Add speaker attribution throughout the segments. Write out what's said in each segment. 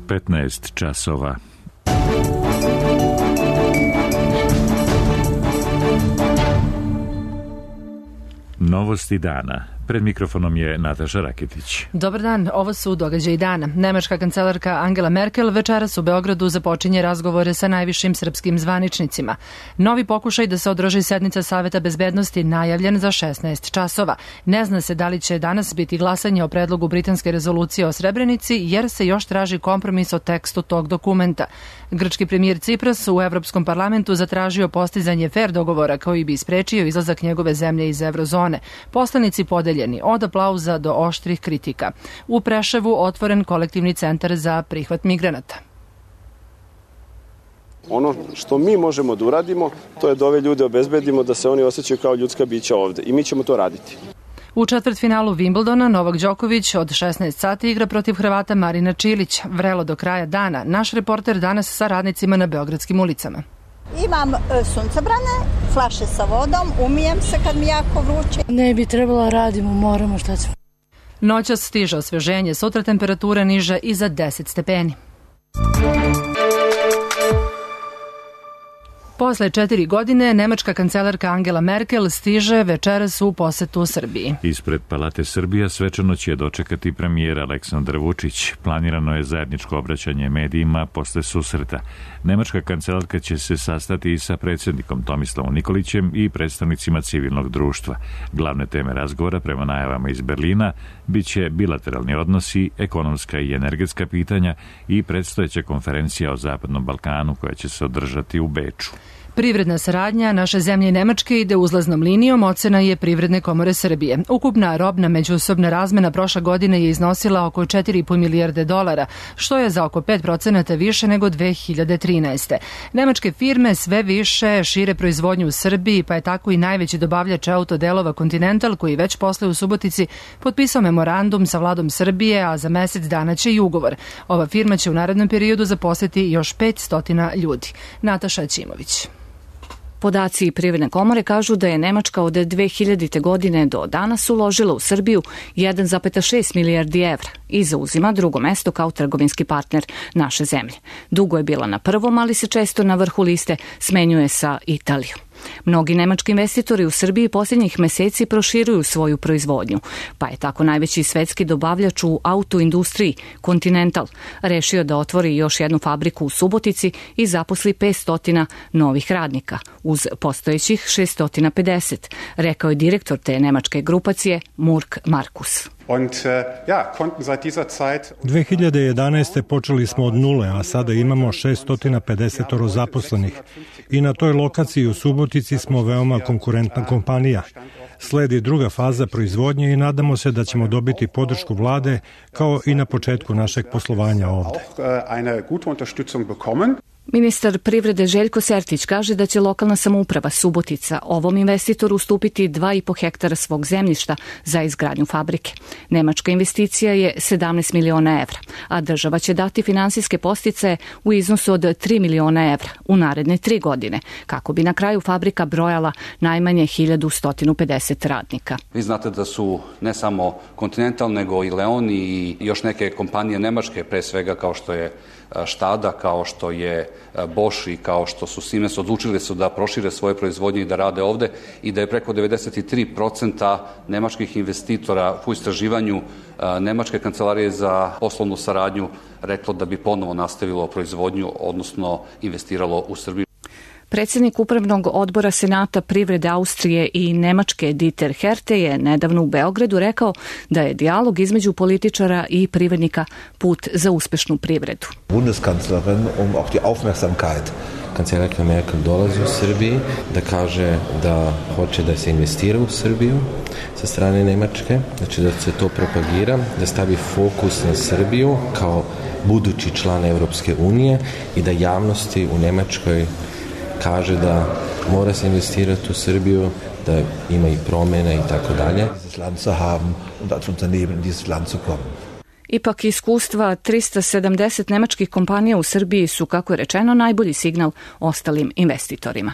Speaker 1: 15 časova. Novosti dana. Pred mikrofonom je Nataša Raketić.
Speaker 2: Dobar dan, ovo su događaji dana. Nemačka kancelarka Angela Merkel večeras u Beogradu započinje razgovore sa najvišim srpskim zvaničnicima. Novi pokušaj da se održi sednica Saveta bezbednosti najavljen za 16 časova. Ne zna se da li će danas biti glasanje o predlogu britanske rezolucije o Srebrenici, jer se još traži kompromis o tekstu tog dokumenta. Grčki premijer Cipras u Evropskom parlamentu zatražio postizanje fer dogovora koji bi sprečio izlazak njegove zemlje iz eurozone. Poslanici podeljeni od aplauza do oštrih kritika. U Preševu otvoren kolektivni centar za prihvat migranata.
Speaker 3: Ono što mi možemo da uradimo, to je da ove ljude obezbedimo da se oni osjećaju kao ljudska bića ovde. I mi ćemo to raditi.
Speaker 2: U četvrtfinalu Wimbledona Novak Đoković od 16 sati igra protiv Hrvata Marina Čilić. Vrelo do kraja dana. Naš reporter danas sa radnicima na beogradskim ulicama.
Speaker 4: Imam suncobrane, flaše sa vodom, umijem se kad mi jako vruće.
Speaker 5: Ne bi trebalo, radimo, moramo, šta ćemo.
Speaker 2: Noćas stiže osveženje, sutra temperatura niža i za 10 stepeni. Posle 4 godine, nemačka kancelarka Angela Merkel stiže večeras u posetu Srbiji.
Speaker 1: Ispred Palate Srbija svečano će dočekati premijer Aleksandar Vučić. Planirano je zajedničko obraćanje medijima posle susreta. Nemačka kancelarka će se sastati i sa predsjednikom Tomislavom Nikolićem i predstavnicima civilnog društva. Glavne teme razgovora, prema najavama iz Berlina, biće bilateralni odnosi, ekonomska i energetska pitanja i predstojeća konferencija o Zapadnom Balkanu koja će se održati u Beču.
Speaker 2: Privredna saradnja naše zemlje i Nemačke ide uzlaznom linijom, ocena je Privredne komore Srbije. Ukupna robna međusobna razmena prošle godine je iznosila oko 4,5 milijarde dolara, što je za oko 5% više nego 2013. Nemačke firme sve više šire proizvodnju u Srbiji, pa je tako i najveći dobavljač autodelova Continental, koji već posle u Subotici potpisao memorandum sa vladom Srbije, a za mesec dana će i ugovor. Ova firma će u narednom periodu zaposliti još 500 ljudi. Nataša Ćimović.
Speaker 6: Podaci Privredne komore kažu da je Nemačka od 2000. godine do danas uložila u Srbiju 1,6 milijardi evra i zauzima drugo mesto kao trgovinski partner naše zemlje. Dugo je bila na prvom, ali se često na vrhu liste smenjuje sa Italijom. Mnogi nemački investitori u Srbiji posljednjih meseci proširuju svoju proizvodnju, pa je tako najveći svetski dobavljač u autoindustriji Continental rešio da otvori još jednu fabriku u Subotici i zaposli 500 novih radnika uz postojećih 650, rekao je direktor te nemačke grupacije Murk Markus.
Speaker 7: 2011. počeli smo od nule, a sada imamo 650 zaposlenih. I na toj lokaciji u Subotici smo veoma konkurentna kompanija. Sledi druga faza proizvodnje i nadamo se da ćemo dobiti podršku vlade kao i na početku našeg poslovanja ovde.
Speaker 6: Ministar privrede Željko Sertić kaže da će lokalna samouprava Subotica ovom investitoru ustupiti 2,5 hektara svog zemljišta za izgradnju fabrike. Nemačka investicija je 17 miliona evra, a država će dati finansijske podsticaje u iznosu od 3 miliona evra u naredne 3 godine, kako bi na kraju fabrika brojala najmanje 1150 radnika.
Speaker 8: Vi znate da su ne samo Continental, nego i Leon i još neke kompanije nemačke, pre svega kao što je Štada, kao što je Bosch i kao što su Siemens, odlučili su da prošire svoje proizvodnje i da rade ovde i da je preko 93% nemačkih investitora u istraživanju Nemačke kancelarije za poslovnu saradnju reklo da bi ponovo nastavilo proizvodnju, odnosno investiralo u Srbiju.
Speaker 6: Predsjednik Upravnog odbora Senata privrede Austrije i Nemačke Dieter Herte je nedavno u Beogradu rekao da je dijalog između političara i privrednika put za uspešnu privredu.
Speaker 9: Bundeskanzlerin auch die Aufmerksamkeit. Kancelarka Merkel dolazi u Srbiji da kaže da hoće da se investira u Srbiju sa strane Nemačke, znači da se to propagira, da stavi fokus na Srbiju kao budući član Evropske unije i da javnosti u Nemačkoj kaže da mora se investirati u Srbiju, da ima i promjene i tako dalje.
Speaker 6: Ipak iskustva 370 nemačkih kompanija u Srbiji su, kako je rečeno, najbolji signal ostalim investitorima.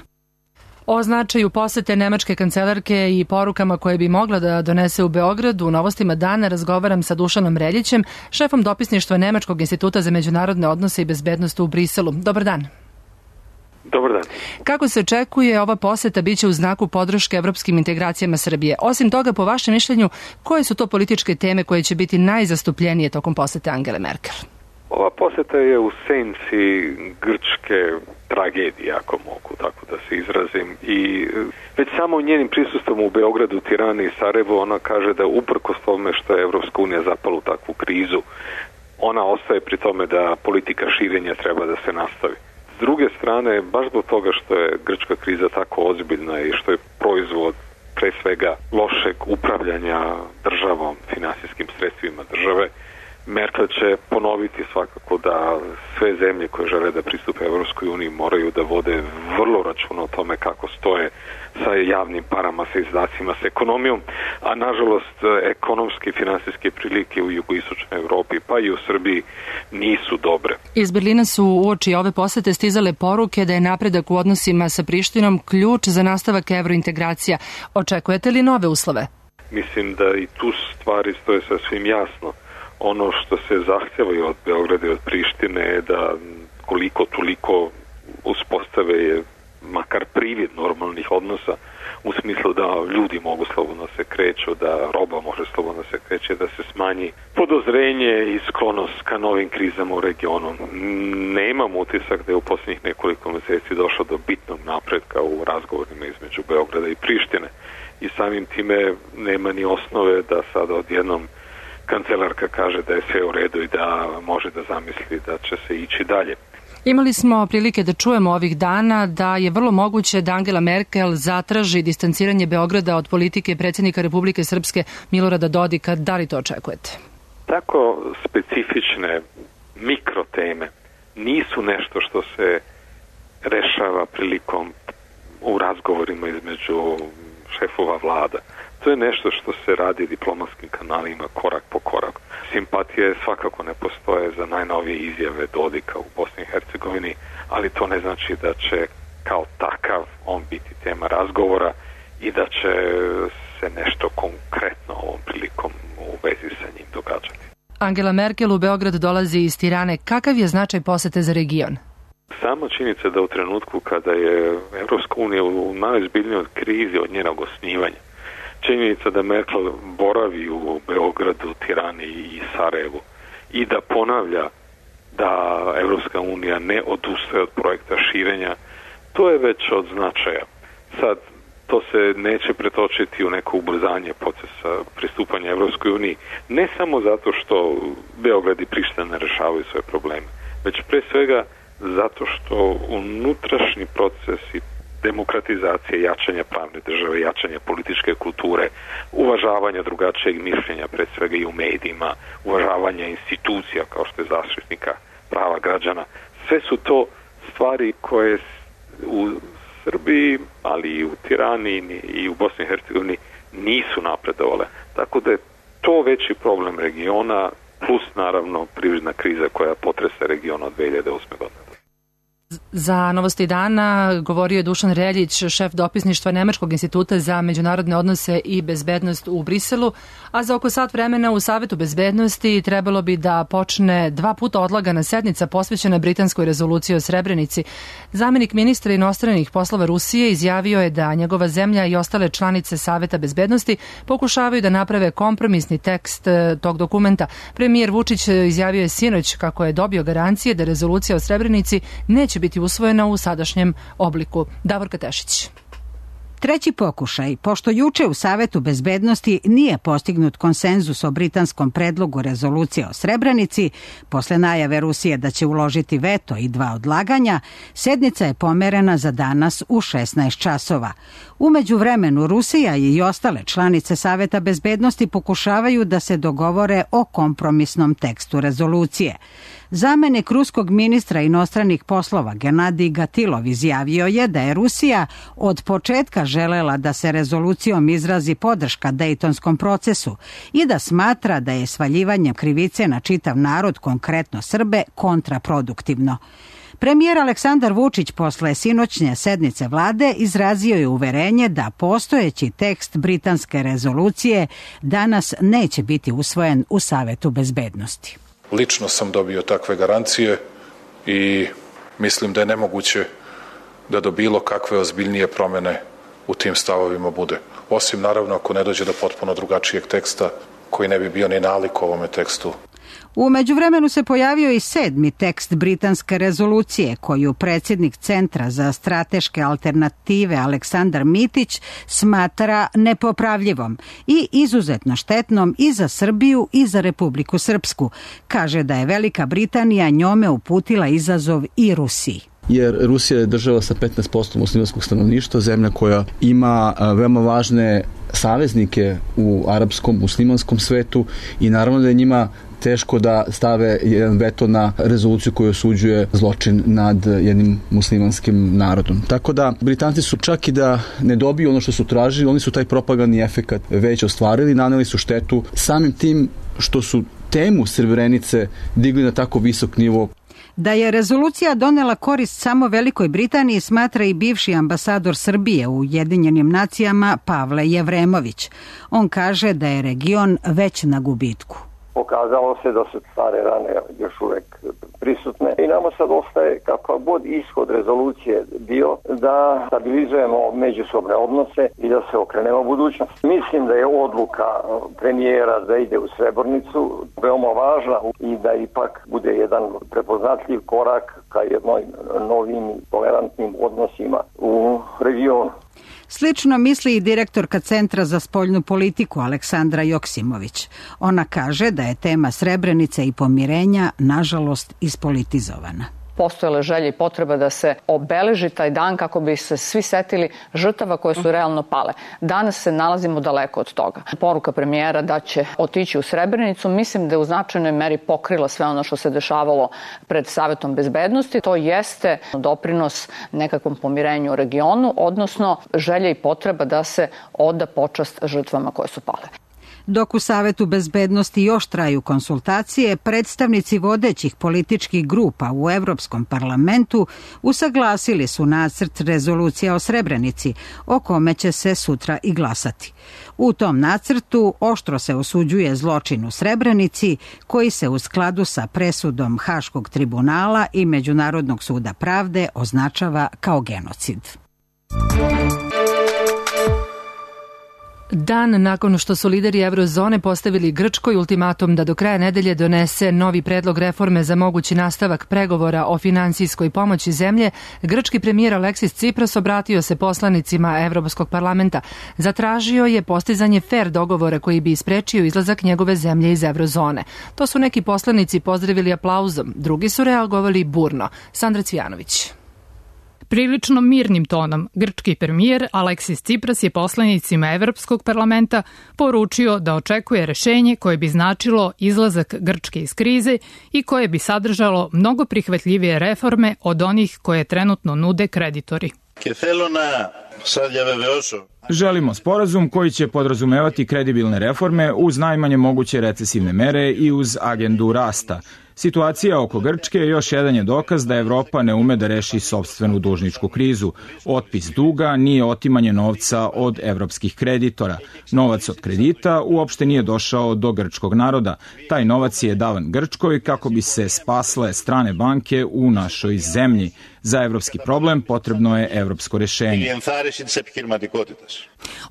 Speaker 2: O značaju posete nemačke kancelarke i porukama koje bi mogla da donese u Beogradu u Novostima dana razgovaram sa Dušanom Reljićem, šefom dopisništva Nemačkog instituta za međunarodne odnose i bezbednost u Briselu. Dobar dan.
Speaker 10: Dobar dan.
Speaker 2: Kako se očekuje, ova poseta biće u znaku podrške evropskim integracijama Srbije. Osim toga, po vašem mišljenju, koje su to političke teme koje će biti najzastupljenije tokom posete Angele Merkel?
Speaker 10: Ova poseta je u senci grčke tragedije, ako mogu tako da se izrazim. I već samo njenim prisustvom u Beogradu, Tirani i Sarajevu ona kaže da uprkos tome što je Evropska unija zapala u takvu krizu, ona ostaje pri tome da politika širenja treba da se nastavi. S druge strane, baš zbog toga što je grčka kriza tako ozbiljna i što je proizvod pre svega lošeg upravljanja državom, finansijskim sredstvima države, Merkel će ponoviti svakako da sve zemlje koje žele da pristupe Evropskoj uniji moraju da vode vrlo računa o tome kako stoje sa javnim parama, sa izdacima, sa ekonomijom, a nažalost ekonomske i finansijske prilike u jugoistočnoj Evropi pa i u Srbiji nisu dobre.
Speaker 2: Iz Berlina su uoči ove posete stizale poruke da je napredak u odnosima sa Prištinom ključ za nastavak evrointegracija. Očekujete li nove uslove?
Speaker 10: Mislim da i tu stvari stoje sasvim jasno. Ono što se zahtjeva od Beograda i od Prištine je da koliko toliko uspostave makar privid normalnih odnosa u smislu da ljudi mogu slobodno se kreću, da roba može slobodno se kreće, da se smanji podozrenje i sklonost ka novim krizama u regionu. Nemam utisak da je u posljednjih nekoliko mjeseci došlo do bitnog napretka u razgovorima između Beograda i Prištine i samim time nema ni osnove da sada odjednom kancelarka kaže da je sve u redu i da može da zamisli da će se ići dalje.
Speaker 2: Imali smo prilike da čujemo ovih dana da je vrlo moguće da Angela Merkel zatraži distanciranje Beograda od politike predsjednika Republike Srpske Milorada Dodika. Da li to očekujete?
Speaker 10: Tako specifične mikroteme nisu nešto što se rešava prilikom u razgovorima između šefova vlada. To je nešto što se radi diplomatskim kanalima korak po korak. Simpatije svakako ne postoje za najnovije izjave Dodika u Bosni i Hercegovini, ali to ne znači da će kao takav on biti tema razgovora i da će se nešto konkretno ovom prilikom u vezi sa njim događati.
Speaker 2: Angela Merkel u Beograd dolazi iz Tirane. Kakav je značaj posete za region?
Speaker 10: Samo činjenica da u trenutku kada je Evropska unija u najozbiljnijoj krizi od njenog osnivanja, činjenica da Merkel boravi u Beogradu, Tirani i Sarajevu i da ponavlja da Evropska unija ne odustaje od projekta širenja, to je već od značaja. Sad, to se neće pretočiti u neko ubrzanje procesa pristupanja Evropskoj uniji, ne samo zato što Beograd i Priština ne rešavaju svoje probleme, već pre svega zato što unutrašnji procesi demokratizacije, jačanja pravne države, jačanja političke kulture, uvažavanja drugačijeg mišljenja, pred svega i u medijima, uvažavanja institucija kao što je zaštitnika prava građana. Sve su to stvari koje u Srbiji, ali i u Tirani i u Bosni i Hercegovini nisu napredovale. Tako da je to veći problem regiona, plus naravno privredna kriza koja potresa region od 2008. godine.
Speaker 2: Za Novosti dana govorio je Dušan Reljić, šef dopisništva Nemačkog instituta za međunarodne odnose i bezbednost u Briselu, a za oko sat vremena u Savetu bezbednosti trebalo bi da počne 2 puta odlagana sednica posvećena britanskoj rezoluciji o Srebrenici. Zamenik ministra inostranih poslova Rusije izjavio je da njegova zemlja i ostale članice Saveta bezbednosti pokušavaju da naprave kompromisni tekst tog dokumenta. Premijer Vučić izjavio je sinoć kako je dobio garancije da rezolucija o Srebrenici neće biti usvojena u sadašnjem obliku. Davorka Tešić.
Speaker 11: Treći pokušaj, pošto juče u Savetu bezbednosti nije postignut konsenzus o britanskom predlogu rezolucije o Srebrenici, posle najave Rusije da će uložiti veto i 2 odlaganja, sednica je pomerena za danas u 16 časova. U međuvremenu Rusija i ostale članice Saveta bezbednosti pokušavaju da se dogovore o kompromisnom tekstu rezolucije. Zamenik ruskog ministra inostranih poslova Gennadij Gatilov izjavio je da je Rusija od početka želela da se rezolucijom izrazi podrška Dejtonskom procesu i da smatra da je svaljivanje krivice na čitav narod, konkretno Srbe, kontraproduktivno. Premijer Aleksandar Vučić posle sinoćnje sednice vlade izrazio je uverenje da postojeći tekst britanske rezolucije danas neće biti usvojen u Savetu bezbednosti.
Speaker 12: Lično sam dobio takve garancije i mislim da je nemoguće da do bilo kakve ozbiljnije promene u tim stavovima bude. Osim naravno ako ne dođe do potpuno drugačijeg teksta koji ne bi bio ni nalik ovome tekstu.
Speaker 11: U međuvremenu se pojavio i 7. tekst britanske rezolucije koju predsjednik Centra za strateške alternative Aleksandar Mitić smatra nepopravljivom i izuzetno štetnom i za Srbiju i za Republiku Srpsku. Kaže da je Velika Britanija njome uputila izazov i Rusiji.
Speaker 13: Jer Rusija je država sa 15% muslimanskog stanovništva, zemlja koja ima veoma važne saveznike u arapskom, muslimanskom svetu i naravno da je njima teško da stave jedan veto na rezoluciju koju osuđuje zločin nad jednim muslimanskim narodom. Tako da Britanci su čak i da ne dobiju ono što su tražili, oni su taj propagandni efekat već ostvarili, naneli su štetu samim tim što su temu Srebrenice digli na tako visok nivo.
Speaker 11: Da je rezolucija donela korist samo Velikoj Britaniji smatra i bivši ambasador Srbije u Ujedinjenim nacijama Pavle Jevremović. On kaže da je region već na gubitku.
Speaker 14: Pokazalo se da su stare rane još uvek prisutne i nama sad ostaje kakav god ishod rezolucije bio da stabilizujemo međusobne odnose i da se okrenemo budućnosti. Mislim da je odluka premijera da ide u Srebrenicu veoma važna i da ipak bude jedan prepoznatljiv korak ka jednoj novim tolerantnim odnosima u regionu.
Speaker 11: Slično misli i direktorka Centra za spoljnu politiku Aleksandra Joksimović. Ona kaže da je tema Srebrenice i pomirenja nažalost ispolitizovana.
Speaker 15: Postojala želja i potreba da se obeleži taj dan kako bi se svi setili žrtava koje su realno pale. Danas se nalazimo daleko od toga. Poruka premijera da će otići u Srebrenicu mislim da je u značajnoj meri pokrila sve ono što se dešavalo pred Savetom bezbednosti. To jeste doprinos nekakvom pomirenju u regionu, odnosno želja i potreba da se oda počast žrtvama koje su pale.
Speaker 11: Dok u Savetu bezbednosti još traju konsultacije, predstavnici vodećih političkih grupa u Evropskom parlamentu usaglasili su nacrt rezolucije o Srebrenici, o kome će se sutra i glasati. U tom nacrtu oštro se osuđuje zločin u Srebrenici, koji se u skladu sa presudom Haškog tribunala i Međunarodnog suda pravde označava kao genocid.
Speaker 2: Dan nakon što su lideri Eurozone postavili Grčkoj ultimatum da do kraja nedelje donese novi predlog reforme za mogući nastavak pregovora o finansijskoj pomoći zemlje, grčki premijer Aleksis Cipras obratio se poslanicima Evropskog parlamenta. Zatražio je postizanje fer dogovora koji bi isprečio izlazak njegove zemlje iz Eurozone. To su neki poslanici pozdravili aplauzom, drugi su reagovali burno. Sandra Cvijanović.
Speaker 16: Prilično mirnim tonom, grčki premijer Aleksis Cipras je poslanicima Evropskog parlamenta poručio da očekuje rešenje koje bi značilo izlazak Grčke iz krize i koje bi sadržalo mnogo prihvatljivije reforme od onih koje trenutno nude kreditori.
Speaker 17: Želimo sporazum koji će podrazumevati kredibilne reforme uz najmanje moguće recesivne mere i uz agendu rasta. Situacija oko Grčke još jedan je dokaz da Evropa ne ume da reši sopstvenu dužničku krizu. Otpis duga nije otimanje novca od evropskih kreditora. Novac od kredita uopšte nije došao do grčkog naroda. Taj novac je davan Grčkoj kako bi se spasle strane banke u našoj zemlji. Za evropski problem potrebno je evropsko rešenje.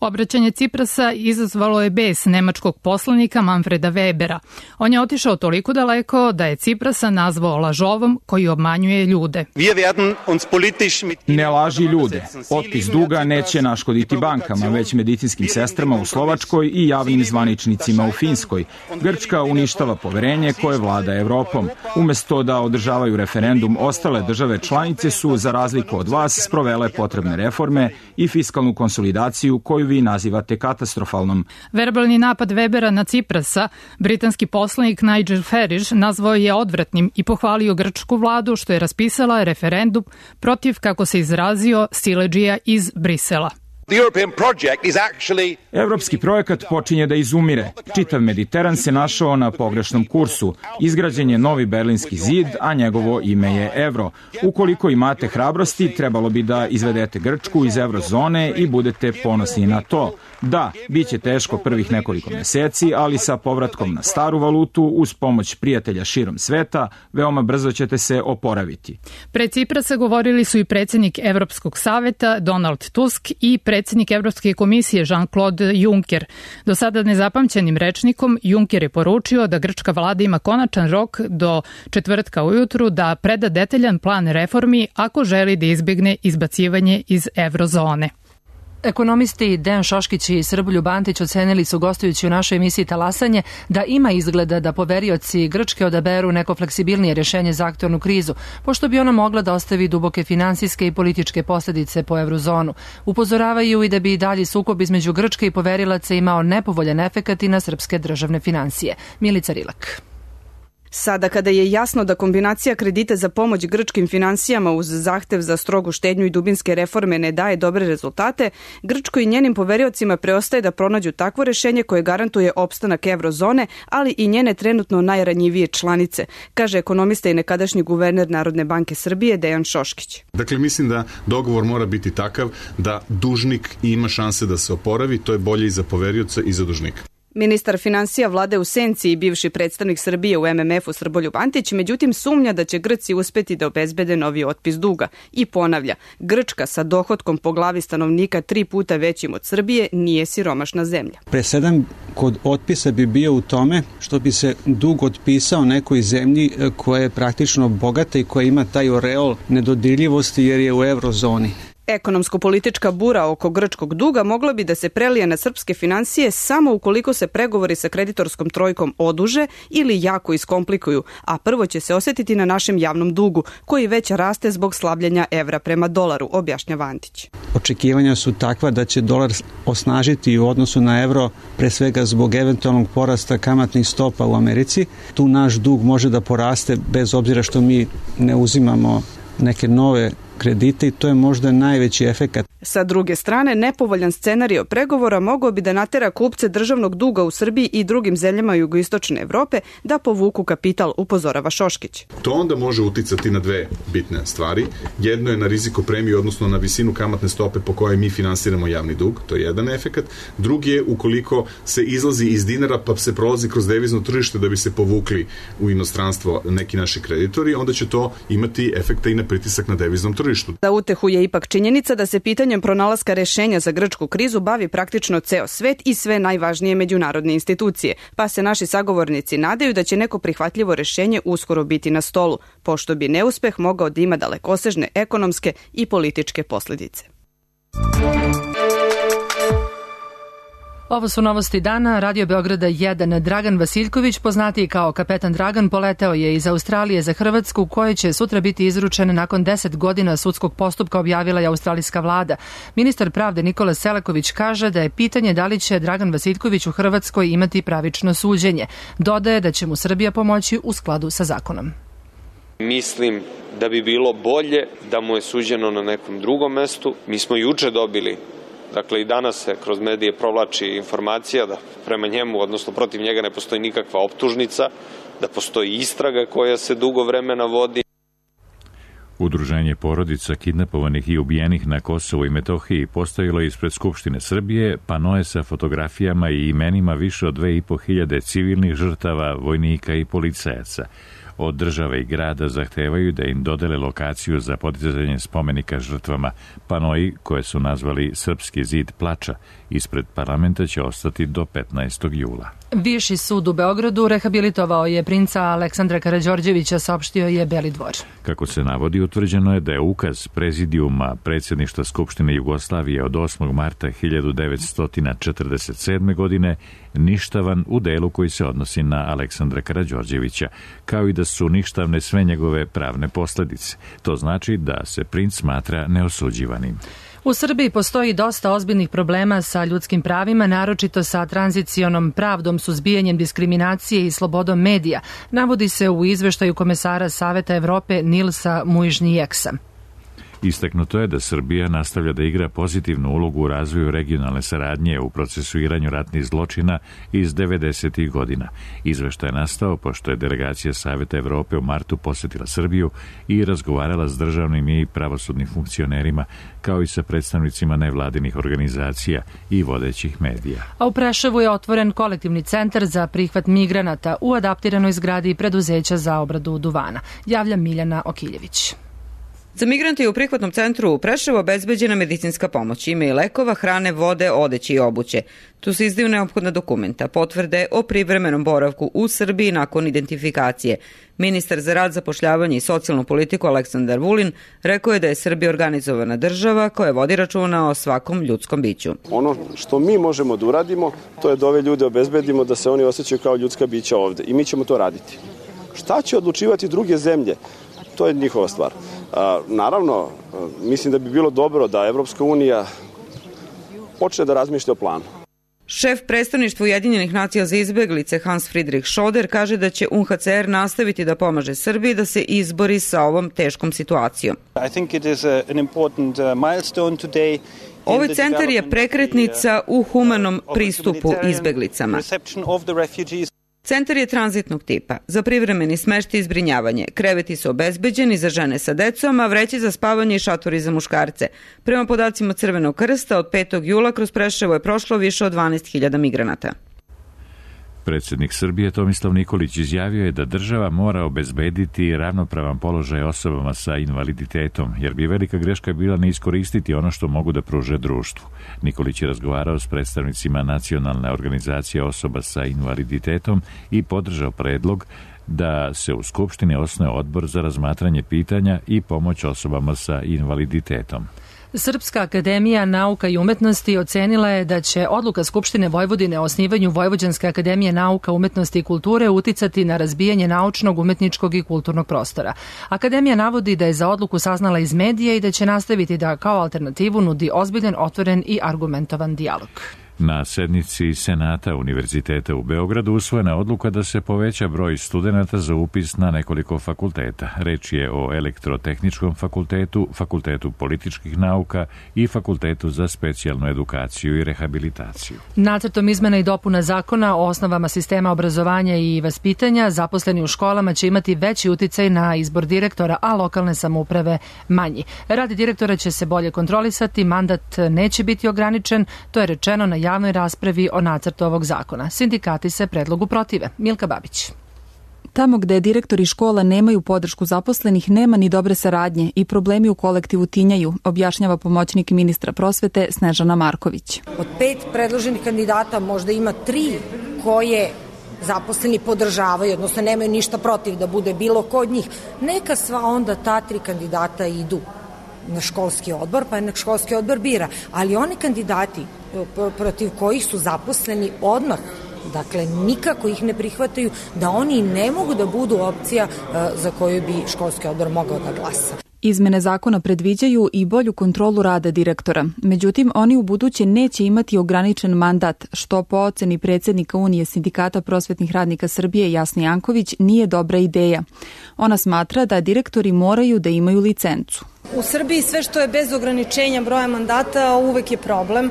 Speaker 16: Obraćanje Ciprasa izazvalo je bes nemačkog poslanika Manfreda Webera. On je otišao toliko daleko da je Ciprasa nazvao lažovom koji obmanjuje ljude.
Speaker 17: Ne laži ljude. Otpis duga neće naškoditi bankama, već medicinskim sestrama u Slovačkoj i javnim zvaničnicima u Finskoj. Grčka uništava poverenje koje vlada Evropom. Umesto da održavaju referendum, ostale države članice su, za razliku od vas, sprovele potrebne reforme i fiskalnu konsolidaciju koju vi nazivate katastrofalnom.
Speaker 16: Verbalni napad Webera na Ciprasa, britanski poslanik Nigel Farage nazvao je odvratnim i pohvalio grčku vladu što je raspisala referendum protiv, kako se izrazio, siledžija iz Brisela.
Speaker 17: Evropski projekat počinje da izumire. Čitav Mediteran se našao na pogrešnom kursu. Izgrađen je novi Berlinski zid, a njegovo ime je evro. Ukoliko imate hrabrosti, trebalo bi da izvedete Grčku iz eurozone i budete ponosni na to. Da, bit će teško prvih nekoliko meseci, ali sa povratkom na staru valutu, uz pomoć prijatelja širom sveta, veoma brzo ćete se oporaviti.
Speaker 16: Pred Ciprasa govorili su i predsjednik Evropskog saveta Donald Tusk i predsjednik Evropske komisije Jean-Claude Juncker. Do sada nezapamćenim rečnikom Juncker je poručio da grčka vlada ima konačan rok do četvrtka ujutru da preda detaljan plan reformi ako želi da izbjegne izbacivanje iz eurozone.
Speaker 2: Ekonomisti Dejan Šoškić i Srboljub Antić ocenili su, gostujući u našoj emisiji Talasanje, da ima izgleda da poverioci Grčke odaberu neko fleksibilnije rješenje za aktualnu krizu, pošto bi ona mogla da ostavi duboke finansijske i političke posljedice po eurozonu. Upozoravaju i da bi dalji sukob između Grčke i poverilaca imao nepovoljan efekat i na srpske državne finansije. Milica Rilak.
Speaker 18: Sada kada je jasno da kombinacija kredita za pomoć grčkim finansijama uz zahtev za strogu štednju i dubinske reforme ne daje dobre rezultate, Grčkoj i njenim poveriocima preostaje da pronađu takvo rješenje koje garantuje opstanak eurozone, ali i njene trenutno najranjivije članice, kaže ekonomista i nekadašnji guverner Narodne banke Srbije Dejan Šoškić.
Speaker 19: Dakle, mislim da dogovor mora biti takav da dužnik ima šanse da se oporavi, to je bolje i za poverioca i za dužnika.
Speaker 18: Ministar finansija vlade u senci i bivši predstavnik Srbije u MMF-u Srboljub Antić, međutim sumnja da će Grci uspeti da obezbede novi otpis duga i ponavlja, Grčka sa dohotkom po glavi stanovnika 3 puta većim od Srbije nije siromašna zemlja.
Speaker 20: Presedan kod otpisa bi bio u tome što bi se dug otpisao nekoj zemlji koja je praktično bogata i koja ima taj oreol nedodirljivosti jer je u eurozoni.
Speaker 18: Ekonomsko-politička bura oko grčkog duga mogla bi da se prelije na srpske finansije samo ukoliko se pregovori sa kreditorskom trojkom oduže ili jako iskomplikuju, a prvo će se osjetiti na našem javnom dugu, koji već raste zbog slabljenja evra prema dolaru, objašnjava Antić.
Speaker 20: Očekivanja su takva da će dolar osnažiti u odnosu na evro, pre svega zbog eventualnog porasta kamatnih stopa u Americi. Tu naš dug može da poraste bez obzira što mi ne uzimamo neke nove kredite i to je možda najveći efekat.
Speaker 18: Sa druge strane, nepovoljan scenario pregovora mogao bi da natera kupce državnog duga u Srbiji i drugim zemljama jugoistočne Evrope da povuku kapital, upozorava Šoškić.
Speaker 19: To onda može uticati na dve bitne stvari. Jedno je na rizikopremiju, odnosno na visinu kamatne stope po kojoj mi finansiramo javni dug, to je jedan efekat. Drugi je ukoliko se izlazi iz dinara pa se prolazi kroz devizno tržište da bi se povukli u inostranstvo neki naši kreditori, onda će to imati efekta i na pritisak na deviznom tržištu.
Speaker 18: Za utehu je ipak činjenica da se pitanjem pronalaska rešenja za grčku krizu bavi praktično ceo svet i sve najvažnije međunarodne institucije, pa se naši sagovornici nadaju da će neko prihvatljivo rešenje uskoro biti na stolu, pošto bi neuspeh mogao da ima dalekosežne ekonomske i političke posljedice.
Speaker 2: Ovo su novosti dana. Radio Beograda 1. Dragan Vasiljković, poznatiji kao Kapetan Dragan, poleteo je iz Australije za Hrvatsku, koje će sutra biti izručen nakon 10 godina sudskog postupka, objavila je australijska vlada. Ministar pravde Nikola Selaković kaže da je pitanje da li će Dragan Vasiljković u Hrvatskoj imati pravično suđenje. Dodaje da će mu Srbija pomoći u skladu sa zakonom.
Speaker 21: Mislim da bi bilo bolje da mu je suđeno na nekom drugom mestu. Mi smo juče dobili, dakle i danas se kroz medije provlači informacija da prema njemu, odnosno protiv njega, ne postoji nikakva optužnica, da postoji istraga koja se dugo vremena vodi.
Speaker 1: Udruženje porodica kidnapovanih i ubijenih na Kosovu i Metohiji postavilo ispred Skupštine Srbije panoe sa fotografijama i imenima više od 2500 civilnih žrtava, vojnika i policajaca. Od države i grada zahtevaju da im dodele lokaciju za podizanje spomenika žrtvama. Panoji, koje su nazvali Srpski zid plača, ispred parlamenta će ostati do 15. jula.
Speaker 2: Viši sud u Beogradu rehabilitovao je princa Aleksandra Karađorđevića, saopštio je Beli dvor.
Speaker 1: Kako se navodi, utvrđeno je da je ukaz Prezidijuma Predsjedništva Skupštine Jugoslavije od 8. marta 1947. godine ništavan u delu koji se odnosi na Aleksandra Karađorđevića, kao i da su ništavne sve njegove pravne posljedice. To znači da se princ smatra neosuđivanim.
Speaker 2: U Srbiji postoji dosta ozbiljnih problema sa ljudskim pravima, naročito sa tranzicionom pravdom, suzbijanjem diskriminacije i slobodom medija, navodi se u izveštaju komesara Saveta Evrope Nilsa Muižnijeksa.
Speaker 1: Istaknuto je da Srbija nastavlja da igra pozitivnu ulogu u razvoju regionalne saradnje u procesuiranju ratnih zločina iz 90. godina. Izveštaj je nastao pošto je delegacija Saveta Evrope u martu posetila Srbiju i razgovarala s državnim i pravosudnim funkcionerima, kao i sa predstavnicima nevladinih organizacija i vodećih medija.
Speaker 2: A u Preševu je otvoren kolektivni centar za prihvat migranata u adaptiranoj zgradi preduzeća za obradu duvana, javlja Miljana Okiljević.
Speaker 3: Za migrante je u prihvatnom centru u Preševu obezbeđena medicinska pomoć, ima i lekova, hrane, vode, odeće i obuće. Tu se izdaju neophodna dokumenta, potvrde o privremenom boravku u Srbiji nakon identifikacije. Ministar za rad, zapošljavanje i socijalnu politiku Aleksandar Vulin rekao je da je Srbija organizovana država koja vodi računa o svakom ljudskom biću.
Speaker 22: Ono što mi možemo da uradimo, to je da ove ljude obezbedimo da se oni osjećaju kao ljudska bića ovde i mi ćemo to raditi. Šta će odlučivati druge zemlje? To je njihova stvar. Naravno, mislim da bi bilo dobro da Evropska unija počne da razmišlja o planu.
Speaker 3: Šef predstavništva Ujedinjenih nacija za izbeglice Hans Friedrich Schoder kaže da će UNHCR nastaviti da pomaže Srbiji da se izbori sa ovom teškom situacijom. Ovaj centar je prekretnica u humanom pristupu izbeglicama. Centar je tranzitnog tipa. Za privremeni smeštaj i zbrinjavanje. Kreveti su obezbeđeni za žene sa decom, a vreće za spavanje i šatori za muškarce. Prema podacima Crvenog krsta, od 5. jula kroz Preševo je prošlo više od 12.000 migranata.
Speaker 1: Predsjednik Srbije Tomislav Nikolić izjavio je da država mora obezbediti ravnopravan položaj osobama sa invaliditetom, jer bi velika greška bila ne iskoristiti ono što mogu da pruže društvu. Nikolić je razgovarao s predstavnicima Nacionalne organizacije osoba sa invaliditetom i podržao predlog da se u Skupštini osnuje odbor za razmatranje pitanja i pomoć osobama sa invaliditetom.
Speaker 2: Srpska akademija nauka i umetnosti ocenila je da će odluka Skupštine Vojvodine o osnivanju Vojvođanske akademije nauka, umetnosti i kulture uticati na razbijanje naučnog, umetničkog i kulturnog prostora. Akademija navodi da je za odluku saznala iz medija i da će nastaviti da kao alternativu nudi ozbiljan, otvoren i argumentovan dijalog.
Speaker 1: Na sednici Senata Univerziteta u Beogradu usvojena je odluka da se poveća broj studenata za upis na nekoliko fakulteta. Reč je o Elektrotehničkom fakultetu, Fakultetu političkih nauka i Fakultetu za specijalnu edukaciju i rehabilitaciju.
Speaker 2: Nacrtom izmena i dopuna zakona o osnovama sistema obrazovanja i vaspitanja zaposleni u školama će imati veći uticaj na izbor direktora, a lokalne samouprave manji. Rad direktora će se bolje kontrolisati, mandat neće biti ograničen, to je rečeno na javnoj raspravi o nacrtu ovog zakona. Sindikati se predlogu protive. Milka Babić.
Speaker 23: Tamo gde direktori škola nemaju podršku zaposlenih, nema ni dobre saradnje i problemi u kolektivu tinjaju, objašnjava pomoćnik ministra prosvete Snežana Marković.
Speaker 24: Od 5 predloženih kandidata možda ima 3 koje zaposleni podržavaju, odnosno nemaju ništa protiv da bude bilo ko od njih. Neka sva onda ta 3 kandidata idu na školski odbor, pa nek školski odbor bira. Ali oni kandidati protiv kojih su zaposleni odmah, dakle nikako ih ne prihvataju, da oni ne mogu da budu opcija za koju bi školski odbor mogao da glasa.
Speaker 23: Izmene zakona predviđaju i bolju kontrolu rada direktora. Međutim, oni u buduće neće imati ograničen mandat, što po oceni predsjednika Unije sindikata prosvetnih radnika Srbije Jasni Janković nije dobra ideja. Ona smatra da direktori moraju da imaju licencu.
Speaker 25: U Srbiji sve što je bez ograničenja broja mandata uvek je problem.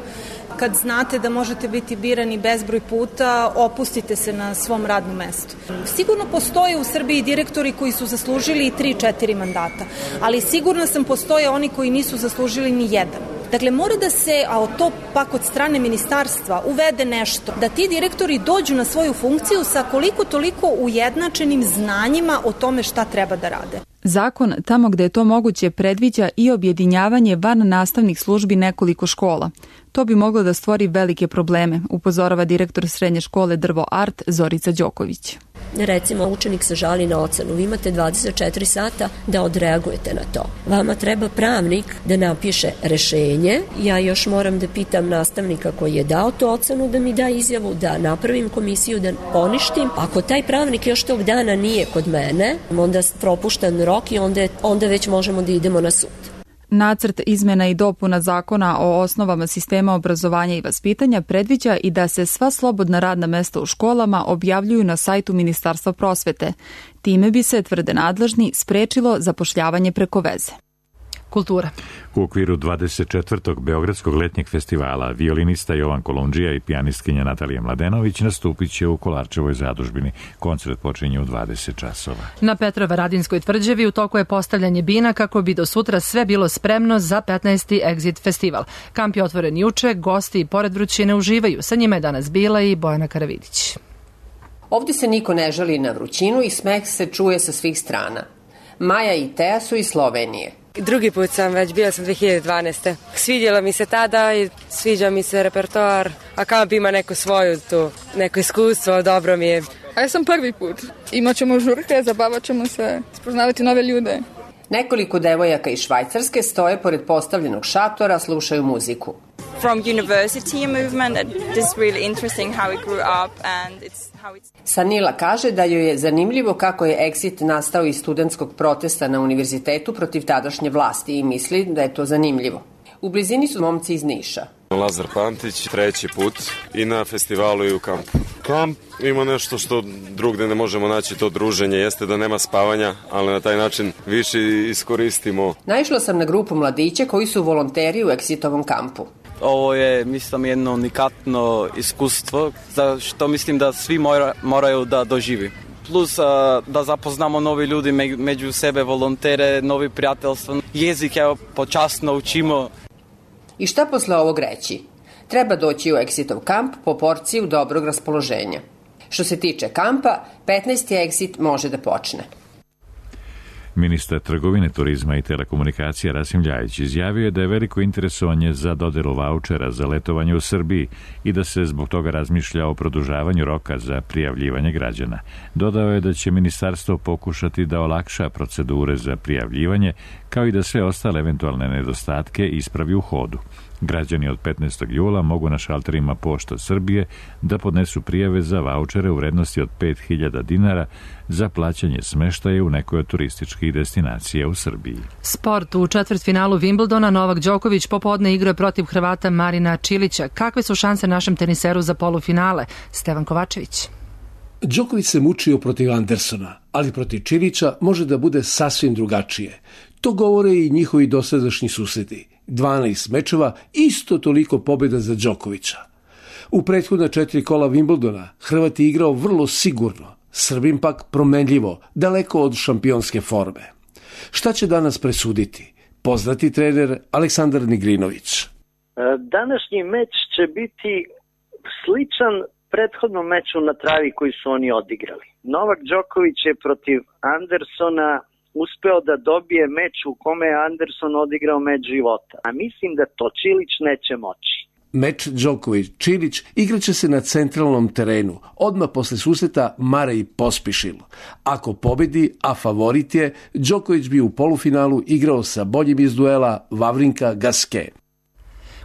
Speaker 25: Kad znate da možete biti birani bezbroj puta, opustite se na svom radnom mestu. Sigurno postoje u Srbiji direktori koji su zaslužili i 3-4 mandata, ali sigurno sam postoje oni koji nisu zaslužili ni jedan. Dakle, mora da se, a to pak od strane ministarstva, uvede nešto, da ti direktori dođu na svoju funkciju sa koliko toliko ujednačenim znanjima o tome šta treba da rade.
Speaker 23: Zakon, tamo gde je to moguće, predviđa i objedinjavanje van nastavnih službi nekoliko škola. To bi moglo da stvori velike probleme, upozorava direktor srednje škole Drvo Art Zorica Đoković.
Speaker 26: Recimo, učenik se žali na ocenu, vi imate 24 sata da odreagujete na to. Vama treba pravnik da napiše rešenje. Ja još moram da pitam nastavnika koji je dao tu ocenu da mi da izjavu, da napravim komisiju, da poništim. Ako taj pravnik još tog dana nije kod mene, onda propuštan rok i onda već možemo da idemo na sud.
Speaker 23: Nacrt izmena i dopuna zakona o osnovama sistema obrazovanja i vaspitanja predviđa i da se sva slobodna radna mesta u školama objavljuju na sajtu Ministarstva prosvete. Time bi se, tvrde nadležni, sprečilo zapošljavanje preko veze.
Speaker 2: Kultura.
Speaker 1: U okviru 24. Beogradskog letnjeg festivala violinista Jovan Kolundžija i pijanistkinja Natalija Mladenović nastupit će u Kolarčevoj zadužbini. Koncert počinje u 20 časova.
Speaker 2: Na Petrovaradinskoj tvrđavi u toku je postavljanje bina kako bi do sutra sve bilo spremno za 15. Exit festival. Kamp je otvoren juče, gosti i pored vrućine uživaju. Sa njima je danas bila i Bojana Karavidić.
Speaker 4: Ovdje se niko ne žali na vrućinu i smeh se čuje sa svih strana. Maja i Teja su iz Slovenije.
Speaker 5: Drugi put sam već, bila sam 2012. Svidjela mi se tada i sviđa mi se repertoar, a kamp ima neku svoju tu, neko iskustvo, dobro mi je.
Speaker 6: A ja sam prvi put. Imaćemo žurke, zabavat ćemo se, spoznavati nove ljude.
Speaker 4: Nekoliko devojaka iz Švajcarske stoje pored postavljenog šatora, slušaju muziku.
Speaker 7: From university movement, it is really interesting how it grew up and how it's...
Speaker 4: Sanila kaže da joj je zanimljivo kako je Exit nastao iz studentskog protesta na univerzitetu protiv tadašnje vlasti i misli da je to zanimljivo. U blizini su momci iz Niša.
Speaker 8: Lazar Pantić, treći put i na festivalu i u kampu. Kamp ima nešto što drugde ne možemo naći, to druženje, jeste da nema spavanja, ali na taj način više iskoristimo.
Speaker 4: Naišla sam na grupu mladića koji su volonteri u Exitovom kampu.
Speaker 9: Ovo je, mislim, jedno unikatno iskustvo, za što mislim da svi moraju da doživi. Plus da zapoznamo novi ljudi među sebe, volontere, novi prijateljstva, jezik počasno učimo.
Speaker 4: I šta posle ovog reći? Treba doći u Exitov kamp po porciju dobrog raspoloženja. Što se tiče kampa, 15. Exit može da počne.
Speaker 1: Ministar trgovine, turizma i telekomunikacija Rasim Ljajić izjavio je da je veliko interesovanje za dodelu vaučera za letovanje u Srbiji i da se zbog toga razmišlja o produžavanju roka za prijavljivanje građana. Dodao je da će ministarstvo pokušati da olakša procedure za prijavljivanje, kao i da sve ostale eventualne nedostatke ispravi u hodu. Građani od 15. jula mogu na šalterima Pošta Srbije da podnesu prijave za vaučere u vrednosti od 5.000 dinara za plaćanje smeštaja u nekoj od turističkih destinacija u Srbiji.
Speaker 2: Sport. U četvrtfinalu Wimbledona Novak Đoković popodne igra protiv Hrvata Marina Čilića. Kakve su šanse našem teniseru za polufinale? Stevan Kovačević.
Speaker 27: Đoković se mučio protiv Andersona, ali protiv Čilića može da bude sasvim drugačije. To govore i njihovi dosadašnji susreti. 12 mečeva, isto toliko pobjeda za Đokovića. U prethodna 4 kola Wimbledona Hrvat je igrao vrlo sigurno, Srbin pak promenljivo, daleko od šampionske forme. Šta će danas presuditi? Poznati trener Aleksandar Nigrinović.
Speaker 28: Današnji meč će biti sličan prethodnom meču na travi koji su oni odigrali. Novak Đoković je protiv Andersona uspeo da dobije meč u kome je Anderson odigrao meč života. A mislim da to Čilić neće moći.
Speaker 27: Meč Đoković-Čilić igraće se na centralnom terenu, odmah posle susreta Mare i Pospišil. Ako pobedi, a favorit je, Đoković bi u polufinalu igrao sa boljim iz duela Vavrinka Gaske.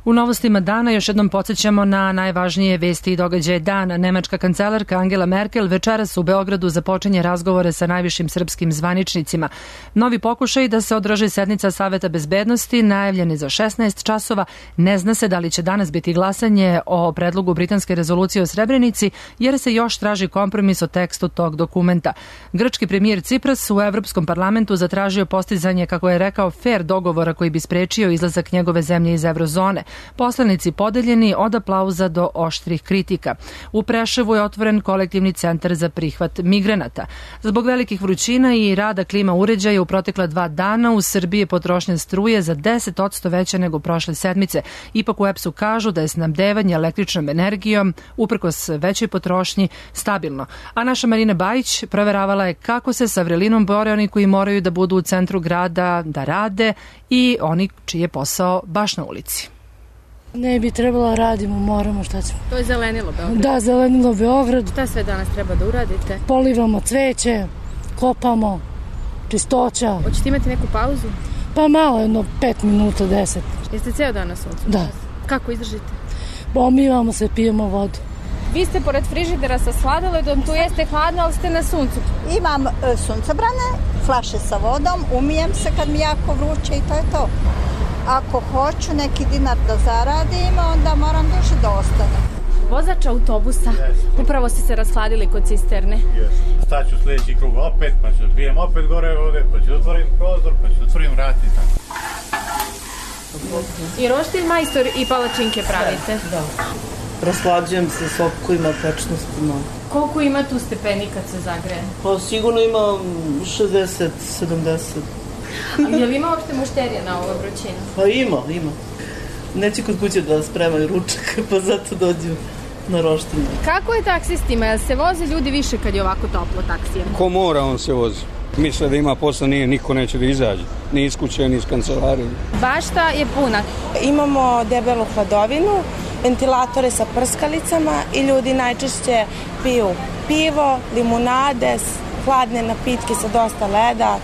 Speaker 2: U novostima dana još jednom podsjećamo na najvažnije vesti i događaje dana. Nemačka kancelarka Angela Merkel večeras u Beogradu započinje razgovore sa najvišim srpskim zvaničnicima. Novi pokušaj da se održi sednica Saveta bezbednosti najavljen je za 16 časova. Ne zna se da li će danas biti glasanje o predlogu britanske rezolucije o Srebrenici, jer se još traži kompromis o tekstu tog dokumenta. Grčki premijer Cipras u Evropskom parlamentu zatražio postizanje, kako je rekao, fair dogovora koji bi sprečio izlazak njegove zemlje iz eurozone. Poslanici podeljeni od aplauza do oštrih kritika. U Preševu je otvoren kolektivni centar za prihvat migranata. Zbog velikih vrućina i rada klima uređaja u protekla 2 dana u Srbiji je potrošnja struje za 10% veća nego prošle sedmice. Ipak u EPS-u kažu da je snabdevanje električnom energijom, uprkos većoj potrošnji, stabilno. A naša Marina Bajić proveravala je kako se sa vrelinom bore oni koji moraju da budu u centru grada da rade i oni čiji je posao baš na ulici.
Speaker 29: Ne bi trebalo radimo, moramo, šta ćemo.
Speaker 23: To je zelenilo Beograd?
Speaker 29: Da, zelenilo Beograd.
Speaker 23: Šta sve danas treba da uradite?
Speaker 29: Polivamo cveće, kopamo, čistoća.
Speaker 23: Hoćete imati neku pauzu?
Speaker 29: Pa malo, jedno 5 minuta, 10.
Speaker 23: Jeste ceo dan na suncu?
Speaker 29: Da.
Speaker 23: Kako izdržite?
Speaker 29: Pomivamo se, pijemo vodu.
Speaker 23: Vi ste pored frižidera sa sladoledom, tu jeste hladno, ali ste na suncu.
Speaker 30: Imam suncobrane, flaše sa vodom, umijem se kad mi jako vruće i to je to. Ako hoću neki dinar da zaradim, onda moram duže da ostane.
Speaker 23: Vozač autobusa, upravo ste se rashladili kod cisterne.
Speaker 31: Staću sljedeći krug opet, pa ću pijem opet gore vode, pa ću otvorim prozor, pa ću otvorim vrat i tako.
Speaker 10: I roštilj majstor i palačinke pravite?
Speaker 11: Da. Raslađujem se sokovima, tečnostima.
Speaker 10: Koliko ima tu stepeni kad se zagreje?
Speaker 11: Pa sigurno ima 60, 70.
Speaker 10: A je li ima uopšte mušterija na ovu vrućinu?
Speaker 11: Pa ima. Neće kod kuće da spremaju ručak, pa zato dođu na roštilj.
Speaker 10: Kako je taksistima? Jel se voze ljudi više kad je ovako toplo taksijama?
Speaker 12: Ko mora, on se vozi. Misle da ima posla, niko neće da izađe. Ni iz kuće, ni iz kancelarije.
Speaker 10: Bašta je puna.
Speaker 13: Imamo debelu hladovinu, ventilatore sa prskalicama i ljudi najčešće piju pivo, limunade, hladne napitke sa dosta leda.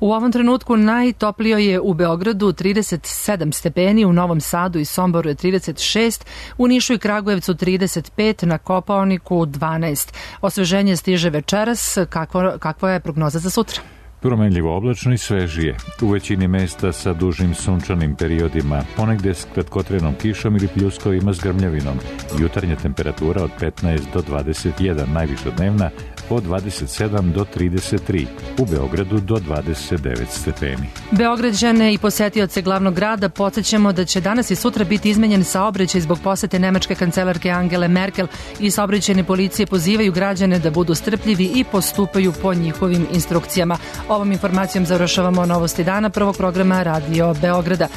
Speaker 2: U ovom trenutku najtoplio je u Beogradu 37 stepeni, u Novom Sadu i Somboru je 36, u Nišu i Kragujevcu 35, na Kopaoniku 12. Osveženje stiže večeras, kakva je prognoza za sutra?
Speaker 1: Promenljivo oblačno i svežije. U većini mesta sa dužim sunčanim periodima, ponegde s kratkotrenom kišom ili pljuskovima s grmljavinom. Jutarnja temperatura od 15 do 21, najviša dnevna od 27 do 33, u Beogradu do 29 stepeni.
Speaker 2: Beograđane i posetioce glavnog grada podsjećamo da će danas i sutra biti izmenjen saobraćaj zbog posete nemačke kancelarke Angele Merkel i saobraćajne policije pozivaju građane da budu strpljivi i postupaju po njihovim instrukcijama. Ovom informacijom završavamo novosti dana prvog programa Radio Beograda.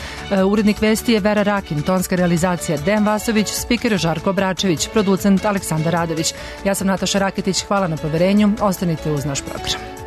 Speaker 2: Urednik vesti je Vera Rakin, tonska realizacija Dejan Vasović, spiker Žarko Bračević, producent Aleksandar Radović. Ja sam Nataša Raketić, hvala na poverenju, ostanite uz naš program.